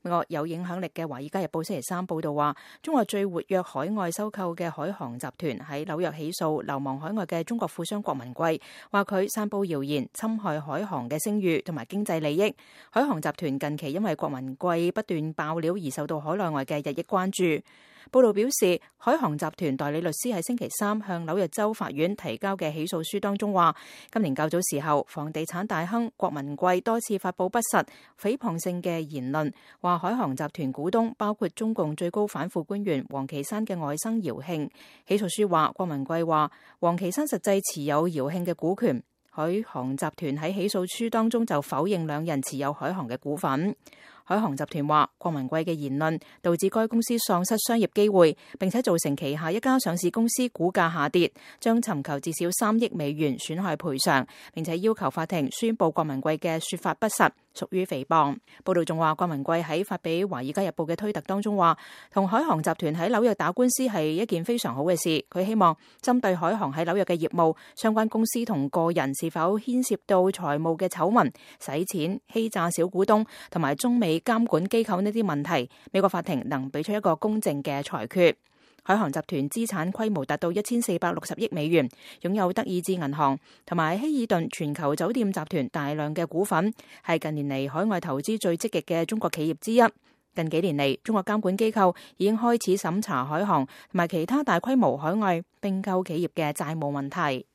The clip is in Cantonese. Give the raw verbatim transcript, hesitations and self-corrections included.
美國有影響力嘅《華爾街日報》星期三報道話，中國最活躍海外收購嘅海航集團喺紐約起訴流亡海外嘅中國富商郭文貴，話佢散布謠言，侵害海航嘅聲譽同埋經濟利益。海航集團近期因為郭文貴不斷爆料而受到海內外嘅日益關注。報道表示，海航集團代理律師喺星期三向紐約州法院提交嘅起訴書當中話，今年較早時候，房地產大亨郭文貴多次發佈不實、誹謗性嘅言論，話海航集團股東包括中共最高反腐官員王岐山嘅外甥姚慶。起訴書話，郭文貴話王岐山實際持有姚慶嘅股權。海航集團喺起訴書當中就否認兩人持有海航嘅股份。海航集團話，郭文貴嘅言論導致該公司喪失商業機會，並且造成旗下一家上市公司股價下跌，將尋求至少三億美元損害賠償，並且要求法庭宣布郭文貴嘅說法不實，屬於誹謗。報道仲話，郭文貴喺發俾《華爾街日報》嘅推特當中話，同海航集團喺紐約打官司係一件非常好嘅事。佢希望針對海航喺紐約嘅業務，相關公司同個人是否牽涉到財務嘅醜聞、洗錢、欺詐小股東同埋中美監管機構呢啲問題，美國法庭能俾出一個公正嘅裁決。海航集團資產規模達到一千四百六十億美元，擁有德意志銀行同埋希爾頓全球酒店集團大量嘅股份，係近年嚟海外投資最積極嘅中國企業之一。近幾年嚟，中國監管機構已經開始審查海航同埋其他大規模海外併購企業嘅債務問題。